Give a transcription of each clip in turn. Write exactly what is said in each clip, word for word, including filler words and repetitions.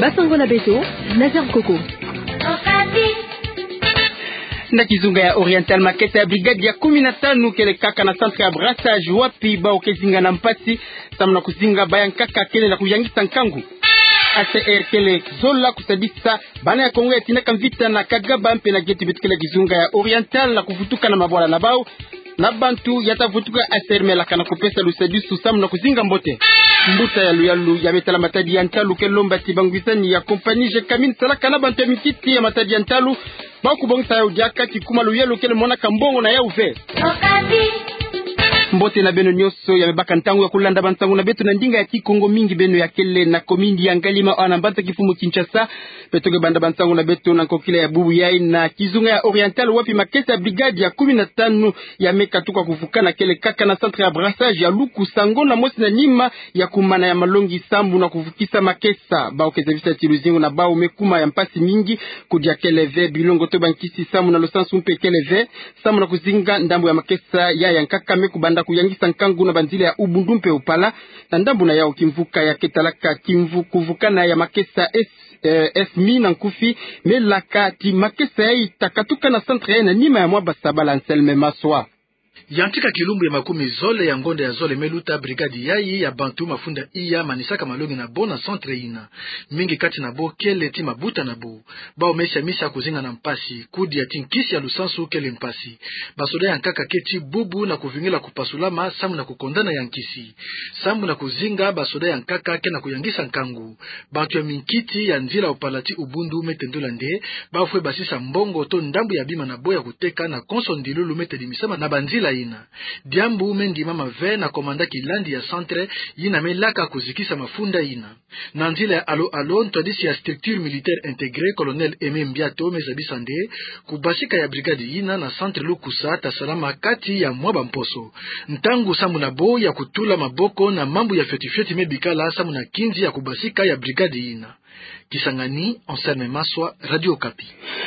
Basango na beto, Nazaire Koko. Na kizunga ya Oriental, makesa ya brigade ya kumi na tano kele kaka na centre ya brassage wapi bawu ke zinga na mpasi, samu na kuzinga bayankaka kele na kuyangisa nkangu. A C R kele zola kusadisa bana ya Kongo ya tinaka mvita na Kagaba mpe na geto beto kele kizunga ya Oriental na kuvutuka na mabwala na bawu, na bantu ya ta vutuka A C R melaka na kupesa lusadisu samu na kuzinga mbote. Mbuta ya luyalu ya me tala matadi ya ntalu ke lomba ti bangwisani ya compagnie Gécamines salaka na bantu ya minkiti ya matadi ya ntalu, bawu kubongisa yawu diaka ti kuma luyalu kele monaka mbongo na yawu ve. Mbote na beno nyonso ya me baka ntangu ya kulanda bansangu na beto na ndinga ya Kikongo, mingi beno ya kele na commune ya Ngaliema awa na mbanza-kifumu Kinshasa. Beto ke banda bansangu na beto na nkokila ya bubu yayi na kizunga ya Oriental, wapi makesa ya brigade ya kumi na tano ya me katuka kuvukana kele kaka na centre ya brassage ya Lukusa, ngonda mosi na nima ya kumana ya malongi samu na kuvukisa makesa. Bawu ke zabisa ti luzingu na bawu me kuma ya mpasi mingi, kudia kele ve, bilongo to bankisi samu na lusansu mpe kele ve, samu na kuzinga ndambu ya makesa ya yankaka me kubanda kuyangisa nkangu na banzila ya Ubundu mpe Uppala. Na ndambu na yawu, kimvuka ya ke talaka kimvu kuvukana ya makesa S, eh, S M I na nkufi, melaka ti makesa yayi ta katuka na centre yayi na nima ya mwa basabala. Anselme Maswa. Yantika kilumbu ya makumi zole ya ngonda ya zole me luta, brigade yayi ya bantu mafunda iya manisaka malongi na bo na centre yina. Mingi kati na bo kele ti mabuta na bo. Bawu me siamisa kuzinga na mpasi, kudia ti nkisi ya lusansu kele mpasi. Basoda yankaka ke ti bubu na kuvingila kupasulama samu na kukondana ya nkisi. Samu na kuzinga, basoda yankaka ke na kuyangisa nkangu. Bantu ya minkiti ya nzila Uppala ti Ubundu me tendula nde bawu fwe basisa mbongo to ndambu ya bima na bo ya kuteka na konso ndilulu me tedimisama na banzila yina. Diambu me ndimama ve na komanda kilandi ya centre yina me laka kuzikisa mafunda yina. Na nzila ya alo-alo, ntwadisi ya structure militaire intégrée, colonel Aimé Mbiato, me zabisa nde kubasika ya brigade yina na centre Lukusa ta salama kati ya mwa bamposo. Ntangu samu na bo ya kutula maboko na mambu ya fioti-fioti me bikala samu na kinzi ya kubasika ya brigade yina. Kisangani, Anselme Maswa, Radio Okapi.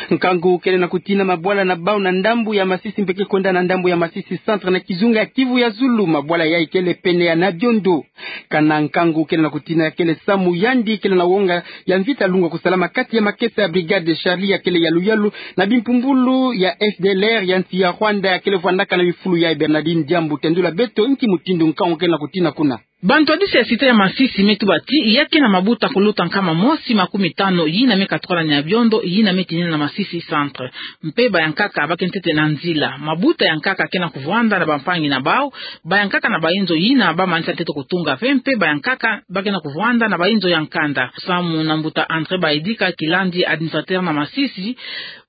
Nkangu kele na kutina mabwala na bawu na ndambu ya Masisi mpe ke kwenda na ndambu ya Masisi centre na kizunga ya Kivu ya zulu. Mabwala yayi kele pene ya Niabiondo. Kana nkangu kele na kutina kele samu yandi kele na wonga ya mvita lungwa kusalama kati ya makesa ya brigade Charlie ya kele ya luyalu na bimpumbulu ya F D L R ya nsi ya Rwanda ya kele vwandaka na bifulu ya Bernardine Diambu. Tendula beto nki mutindu nkangu kele na kutina kuna. Bantwadisi ya cité ya Masisi me tuba ti ya ke na mabuta kuluta nkama mosi makumi tano yina me katuka na Niabiondo, yina me tinina na Masisi centre. Mpe bayankaka ba ke ntete na nzila. Mabuta yankaka ke na kuvwanda na bampangi na bawu, bayankaka na bainzo yina ba manisa ntete kutunga ve, mpe bayankaka ba ke na kuvwanda na bainzo ya nkanda. Samu na mbuta André Baidika, kilandi administrateur na Masisi,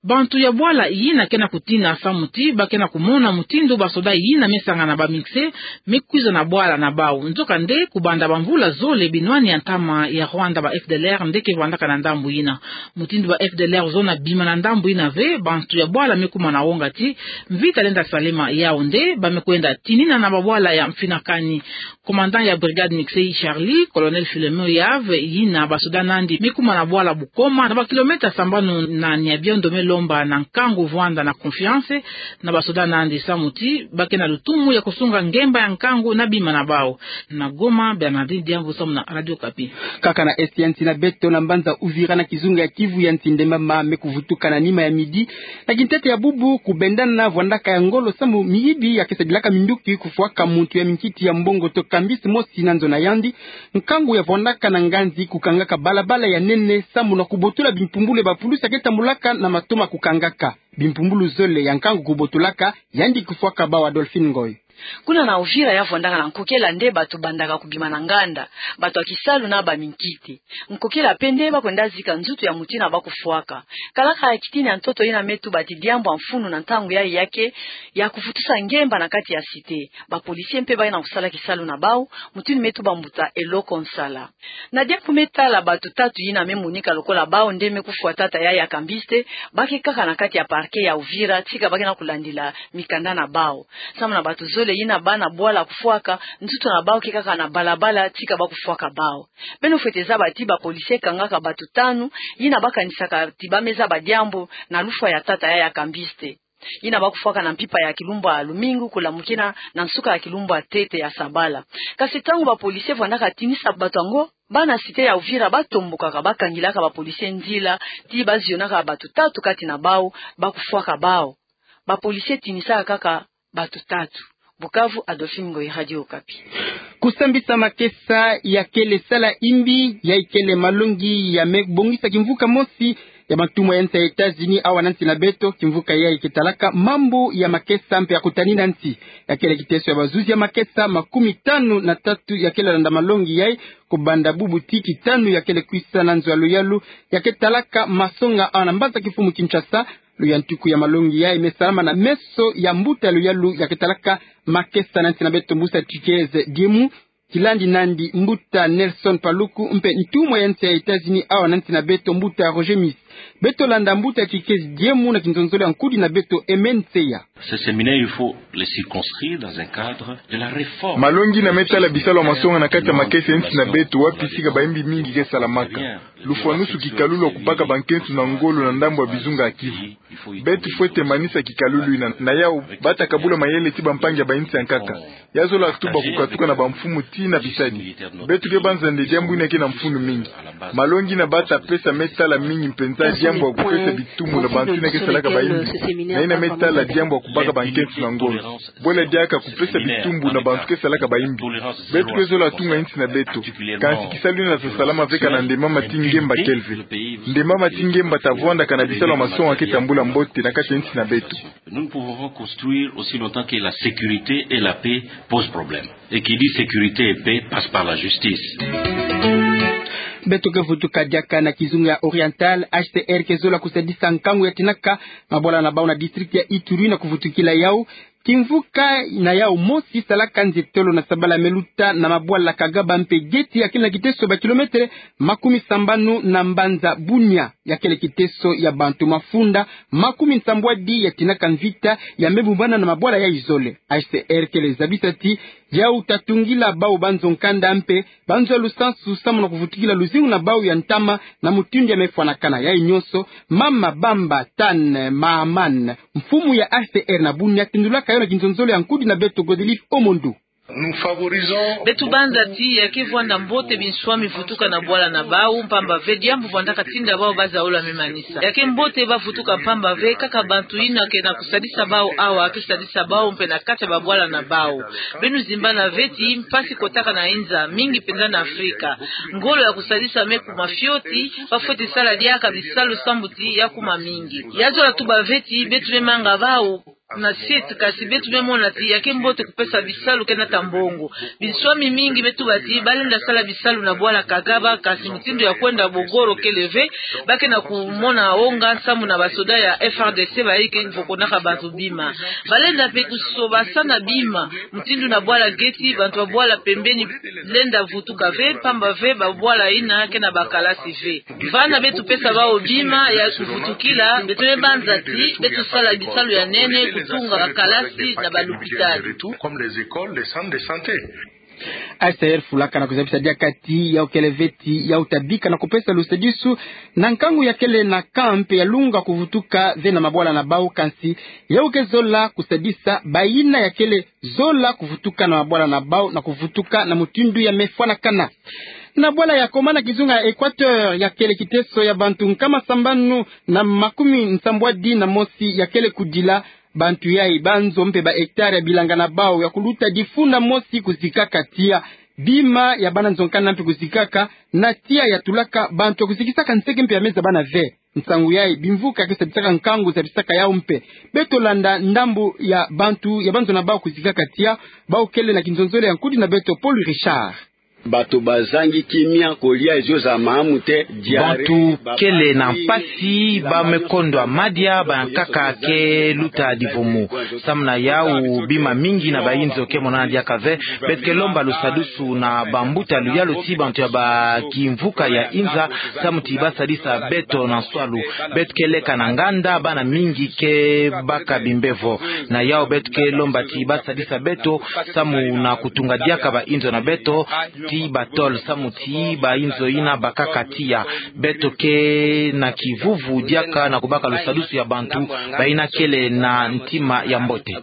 bantu ya bwala yina ke na kutina samu ti ba ke na kumona mutindu basoda yina me sangana ba mixé me kwiza na bwala na bawu. Nzokande, kubanda bamvula zole, binwani ya ntama ya Rwanda, ba F D L R nde ke vwandaka na ndambu yina. Mutindu ba F D L R zona bima na ndambu yina ve, bantu ya bwala me kuma na wonga ti mvita lenda salema. Yawu nde ba me kwenda tinina na babwala ya mfinakani. Commandant ya brigade mixé Charlie, colonel Philemon Yave, yina basoda nandi me kuma na bwala Bukoma, na ba kilomètre sambanu na Niabiondo, me lomba na nkangu vwanda na confiance na basoda nandi samu ti ba ke na lutumu ya kusunga ngemba ya nkangu na bima na bawu. Na Goma, Bernardine Diambu samu na Radio Okapi. Kaka na est ya nsi na beto, na mbanza Uvira na kizunga ya Kivu ya nsi, nde mama me kuvutuka na nima ya midi na kintete ya bubu, kubendana vwandaka ya ngolo samu miyibi ya ke sadilaka minduki kufwaka muntu ya minkiti ya mbongo to kambisi mosi na nzo na yandi. Nkangu ya vwandaka na nganzi kukangaka balabala ya nene samu na kubotula bimpumbulu ya bapulusi ya ke tambulaka na matoma kukangaka. Bimpumbulu zole ya nkangu kubotulaka, yandi kufwaka bawu. Adolphine Ngoy. Kuna na Uvira, ya vwandaka na nkokela nde bato bandaka kubima na nganda, bato ya kisalu na baminkiti. Nkokela pe nde ba kwenda zika nzutu ya mutu yina ba kufwaka. Kalaka ya kitini ya ntoto yina me tuba ti diambu ya mfunu na ntangu yayi ya ke ya kuvutusa ngemba na kati ya cité. Ba policiers mpe ba ke na kusala kisalu na bawu, mutindu me tuba mbuta Eloko Nsala. Na diambu me tala bato tatu yina me monika lokola bawu nde me kufwa tata yayi ya kambiste, ba ke kaka na kati ya parquet ya Uvira, tika ba ke na kulandila mikanda na bawu. Samu na bato zole yina ba na bwala kufwaka, nzutu na bawu ke kaka na balabala, tika ba kufwaka bawu. Beno fwete zaba ti ba policiers kangaka bato tanu yina ba kanisaka ti ba me zaba diambu na lufwa ya tata yayi ya kambiste. Yina bakufwaka na mpimpa ya kilumbu ya lumingu kulamukina na nsuka ya kilumbu ya ntete ya sabala. Kasi ntangu ba policiers vwandaka tinisa bato yango, bana cité ya Uvira batombokaka, bakangilaka ba policiers nzila, ti bazionaka bato tatu kati na bawu, bakufwaka bawu. Ba policiers tinisaka kaka bato tatu. Bukavu, Adolphine Ngoyi, Radio Okapi. Kusambisa makesa ya kele sala imbi, yayi kele malongi ya me bongisa kimvuka mosi ya bantumwa ya nsi ya États-Unis awa na nsi na beto. Kimvuka yayi ke talaka mambu ya makesa mpe ya kutanina nsi. Ya kele kiteso ya bazuzi ya makesa makumi tanu na tatu ya kele landa malongi yayi, kubanda bubu ti kitanu ya kele kwisa na nzo ya luyalu ya ke talaka masonga awa na mbanza kimfumu Kinshasa. Luyantiku ya malongi yayi me salama na meso ya mbuta ya luyalu ya ke talaka makesa na nsi na beto, mbusa Chikeze Diemu, kilandi nandi mbuta Nelson Paluku, mpe ntumwa ya nsi ya États-Unis awa na nsi na beto, mbuta Roger Miss. Beto landa mbuta Chikeze Diemu na kinzonzolo ya nkudi na beto, Aimé Nseya. Ces séminaires, il faut les circonscrire dans un cadre de la réforme. Malongi yina me tala bisalu ya masonga na kati ya makesa ya nsi na beto, wapi sika bayimbi mingi ke salamaka. Lufwanusu kikalulu ya kubaka bankensu na ngolo na ndambu ya bizunga ya Kivu. Beto fwete manisa kikalulu yina. Na yawu, bata kabula mayele ti bampangi ya bayinsi ya nkaka. Ya zola tuba kukatuka na bamfumu tii na bisadi. Beto ke banza nde diambu yina ke na mfunu mingi. Malongi yina bata pesa me tala mingi mpenza diambu ya kupesa bitumbu na bantu yina ke salaka bayimbi, na yina me tala diambu ya kubaka bankensu na ngolo. Bwela diaka kupesa bitumbu na bantu ke salaka bayimbi. Beto ke zola tunga insi na beto. Kansi kisalu yina sa salama ve kana Ndemama ti Ngemba kele ve. Ndemama ti Ngemba ta vwanda kana bisalu ya masonga ke tambula mbote na kati ya insi na beto. Nous ne pouvons pas construire aussi longtemps que la sécurité et la paix posent problème. Et qui dit sécurité et paix passe par la justice. Beto ke vutuka diaka na kizunga ya Oriental. H C R ke zola kusadisa nkangu ya tinaka mabwala na bawu na district ya Ituri na kuvutukila yawu. Kimvuka na yawu mosi salaka nzietolo na sabala me luta na mabwala Kagaba mpe Geti, ya kele na kiteso ba kilomètre makumi sambanu na mbanza Bunia. Ya kele kiteso ya bantu mafunda makumi nsambwadi ya tinaka mvita ya me bumbana na mabwala yayi zole. H C R kele zabisa ti yawu ta tungila bawu banzo nkanda mpe banzo ya lusansu samu na kuvutukila luzingu na bawu ya ntama na mutindu ya me fwanakana. Yayi nyonso, Mama Bamba Tan Mahaman, mfumu ya H C R na Bunia, tindulaka yo na kinzonzolo ya nkudi na beto Godelive Omondo. Beto banza ti ya ke vwanda mbote binswami vutuka na bwala na bawu, mpamba ve diambu vwandaka tinda bawu bazaula me manisa. Ya ke mbote bavutuka mpamba ve kaka bantu yina ke na kusadisa bawu awa ke sadisa bawu mpe na kati ya babwala na bawu. Beno zimbana ve ti mpasi kotaka na inza, mingi mpenza na Afrika. Ngolo ya kusadisa me kuma fioti, bafweti sala diaka bisalu sambu ti ya kuma mingi. Ya zola tuba ve ti beto me manga bawu na site, kasi beto me mona ti ya ke mbote kupesa bisalu ke nata mbongo. Binswami mingi me tuba ti balenda sala bisalu na bwala Kagaba, kasi mutindu ya kwenda Bogoro kele ve, ba ke na kumona onga samu na basoda ya F R D C bayi ke vokonaka bantu bima. Balenda mpe kusobasana bima, mutindu na bwala Geti, bantu ya bwala pembeni lenda vutuka ve, mpamba ve babwala yina ke na bakalasi ve. Vana beto pesa bawu bima ya kuvutukila, beto me banza ti beto sala bisalu ya nene, kutunga bakalasi na balupitali. Comme les écoles, les centres de santé. H C R fulaka na kuzabisa diaka ti yawu kele ve ti yawu ta bika na kupesa lusadisu na nkangu ya kele na camp ya lunga kuvutuka ve na mabwala na bawu, kansi yawu ke zola kusadisa bayina ya kele zola kuvutuka na mabwala na bawu na kuvutuka na mutindu ya me fwanakana. Na bwala ya Koma na kizunga ya Equateur, ya kele kiteso ya bantu nkama sambanu na makumi nsambwadi na mosi ya kele kudila. Bantu yayi banzo mpe ba hectare ya bilanga na bawu ya kuluta difunda mosi kuzikaka tiya. Bima ya bana nzo nkanda mpe kuzikaka, na tiya ya tulaka bantu ya kuzikisaka nseke mpe ya me zabana ve. Nsangu yayi bimvuka ke sadisaka nkangu zabisaka yawu mpe. Beto landa ndambu ya bantu ya banzo na bawu kuzikaka tiya, bawu kele na kinzonzolo ya nkudi na beto Paul Richard. Bato bazangi kimia, kolia ezozala malamu te, diarrhée. Bantu kele na mpasi, ba me kondwa madia, bankaka ke luta divumu. Samu na yawu bima mingi na bayinzo ke monana diaka ve. Beto ke lomba lusadisu na bambuta luyalu ti bantu ya ba kimvuka ya inza, samu ti basadisa beto na nswalu. Beto ke leka na nganda, bana mingi ke baka bimbevo. Na yawu beto ke lomba ti basadisa beto samu na kutunga diaka bayinzo na beto. ti batole samu ti bainzo yina bakaka tiya. Beto ke na kivuvu diaka na kubaka lusadusu ya bantu bayina kele na ntima ya mbote.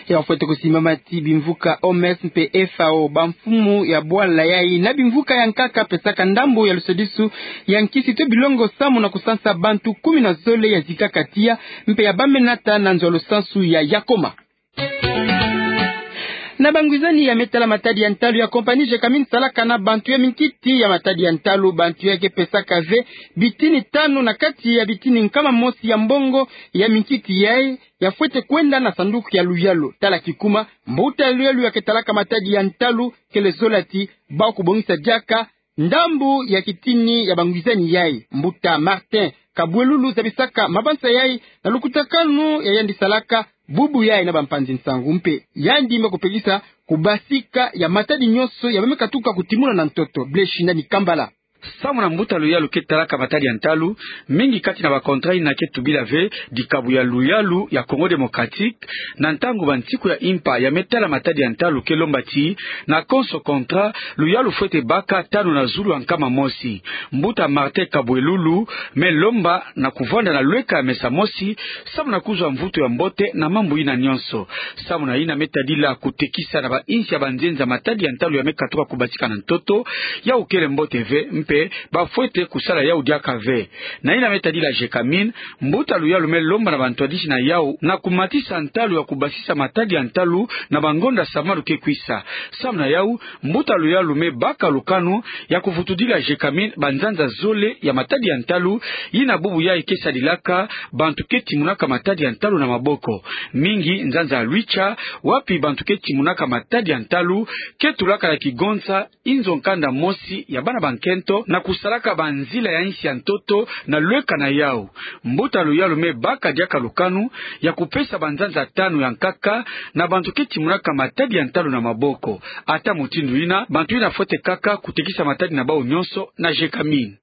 Ya fwete kusimbama ti bimvuka O M S mpe F A O, bamfumu ya bwala yayi na bimvuka ya nkaka pesaka ndambu ya lusadusu ya nkisi to bilongo samu na kusansa bantu kumi na zole ya zikaka tiya mpe ya bamenata na nzo ya lusansu ya Yakoma. Na bangwizani ya me tala matadi ya ntalu ya compagnie Gécamines salaka na bantu ya minkiti ya matadi ya ntalu, bantu ya ke pesaka ve bitini tanu na kati ya bitini nkama mosi ya mbongo ya minkiti yayi ya fwete kwenda na sanduku ya luyalu. Tala kikuma, mbuta ya luyalu ya ke talaka matadi ya ntalu kele zola ti bau kubongisa diaka ndambu ya kitini ya bangwizani yayi. Mbuta Martin Kabwelulu zabisaka mabanza yayi na lukutakanu ya yandi salaka bubu yayi na bampanzi nsangu mpe yandi me kupekisa kubasika ya matadi nyonso ya ba me katuka kutimuna na ntoto. Blaise Shindani Kambala. Samu na mbuta luyalu ke talaka matadi ya ntalu, mingi kati na ba contrat yina ke tubila ve dikabu ya luyalu ya Congo Démocratique. Na ntangu bansiku ya impa ya me tala matadi ya ntalu ke lomba ti na konso contrat, luyalu fwete baka tanu na zulu ya nkama mosi. Mbuta Martin Kabwelulu me lomba na kuvwanda na lweka ya mesa mosi samu na kuzwa mvutu ya mbote na mambu yina nyonso. Samu na yina me tadila kutekisa na bainsi ya banzenza matadi ya ntalu ya me katuka kubasika na ntoto, yawu kele mbote ve mpe ba fwete kusala yawu diaka ve. Na yina me tadila Gécamines, mbuta luyalu me lomba na bantwadisi na yawu na kumatisa ntalu ya kubasisa matadi ya ntalu na bangonda samalu ke kwisa. Samu na yawu, mbuta luyalu me baka lukanu ya kuvutudila Gécamines banzanza zole ya matadi ya ntalu, yina bubu yayi ke sadilaka bantu ke timunaka matadi ya ntalu na maboko. Mingi nzanza ya Luicha, wapi bantu ke timunaka matadi ya ntalu ke tulaka na kigonza inzo nkanda mosi ya bana bankento na kusalaka banzila ya insi ya ntoto na lweka na yawu. Mbuta luyalu me baka diaka lukanu ya kupesa banzanza tanu ya nkaka na bantu ke timunaka matadi ya ntalu na maboko. Ata mutindu yina, bantu yina fwete kaka kutekisa matadi na bawu nyonso na Gécamines.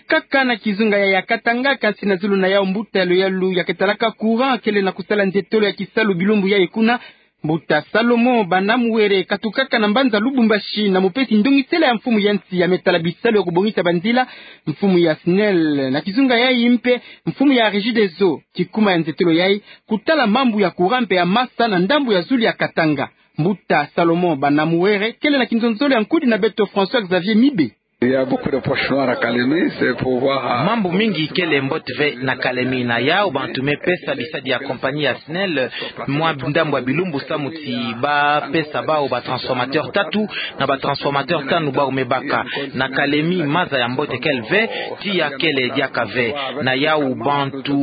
Kaka na kizunga ya, ya Katanga, kansi na zulu na yawu mbuta luyalu ya ke talaka courant kele na kusala nzietolo ya kisalu bilumbu yayi kuna. Mbuta Salomon Banamuwere katukaka na mbanza Lubumbashi na mupesi ndongisela ya mfumu ya nsi ya me tala bisalu ya kubongisa banzila, mfumu ya SNEL na kizunga yayi mpe mfumu ya Regideso. Kikuma ya nzietolo yayi kutala mambu ya courant mpe ya masa na ndambu ya zulu ya Katanga. Mbuta Salomon Banamuwere kele na kinzonzolo ya nkudi na beto François Xavier Mibe. Il y a beaucoup de poches noires à Kalemi, c'est pour voir, euh, mambu mingi kele mbote ve na Kalemi. Na yawu bantu me pesa bisadi ya compagnie ya SNEL mwa ndambu ya bilumbu samu ti ba pesa bawu ba transformateur tatu, na ba transformateur tanu bawu me baka. Na Kalemi maza ya mbote kele ve, tiya kele diaka ve. Na yawu bantu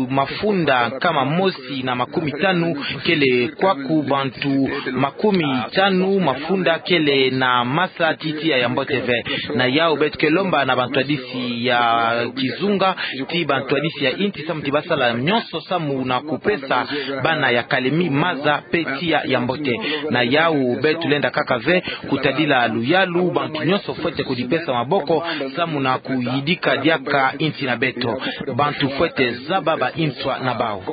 mafunda nkama mosi na makumi tanu kele kwaku, bantu makumi tanu mafunda kele na masa ti tiya ya mbote ve. Na yawu beto ke lomba na bantwadisi ya kizunga, ti bantwadisi ya insi samu ti ba sala nyonso samu na kupesa bana ya Kalemi maza mpe tiya ya mbote. Na yawu beto lenda kaka ve kutadila luyalu, bantu nyonso fwete kudipesa maboko samu na kuyidika diaka insi na beto. Bantu fwete zaba ba inswa na bawu.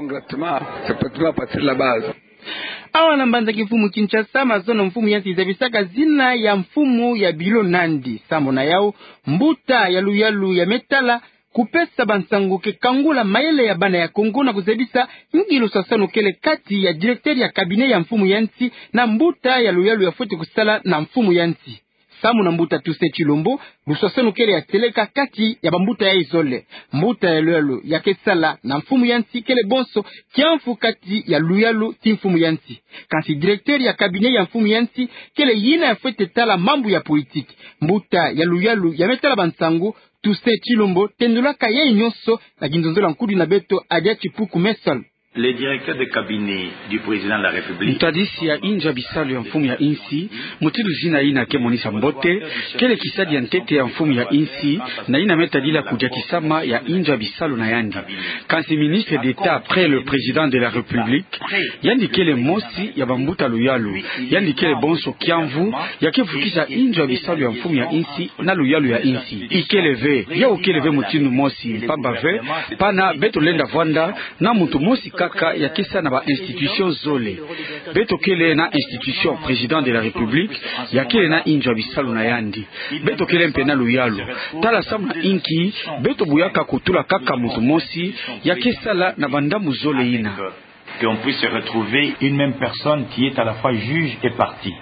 Awa na mbanza kimfumu Kinshasa, mazono mfumu ya nsi zabisaka zina ya mfumu ya bilo nandi. Samu na yawu, mbuta ya luyalu ya me tala kupesa bansangu ke kangula mayele ya bana ya Kongo na kuzabisa ngilu sasano kele kati ya directeur ya cabinet ya mfumu ya nsi na mbuta ya luyalu ya fwete kusala na mfumu ya nsi. Samu na mbuta Toussaint Tshilombo, luswaswanu kele ya seleka kati ya bambuta yayi zole. Mbuta ya luyalu ya ke sala na mfumu ya nsi kele bonso kiamvu kati ya luyalu ti mfumu ya nsi. Kansi directeur ya cabinet ya mfumu ya nsi kele yina ya fwete tala mambu ya politique. Mbuta ya luyalu ya me tala bansangu, Toussaint Tshilombo, tendulaka yayi nyonso na kinzonzolo ya nkudi na beto Adia Tshipuku Messol. Le directeur de cabinet du président de la République. Ntwadisi ya inzo ya bisalu ya mfumu ya insi, mutindu zina yina ke monisa mbote, kele kisadi ya ntete ya mfumu ya insi, na yina me tadila kudiatisama ya inzo ya bisalu na yandi. Kansi ministre d'État près le président de la République, yandi kele mosi ya bambuta luyalu, yandi kele bonso kiamvu ya ke vukisa inzo ya bisalu ya mfumu ya insi na luyalu ya insi. Ikele ve, yawu kele ve mutindu mosi, mpamba ve, pana beto lenda vwanda na muntu mosi kaka ya ke sala na ba institutions zole. Beto kele na institution Président de la République, ya kele na inzo ya bisalu na yandi. Beto kele mpe na luyalu. Tala samu na inki beto buyaka kutula kaka muntu mosi ya ke sala na ba ndambu zole yina. Que on puisse retrouver une même personne qui est à la fois juge et partie.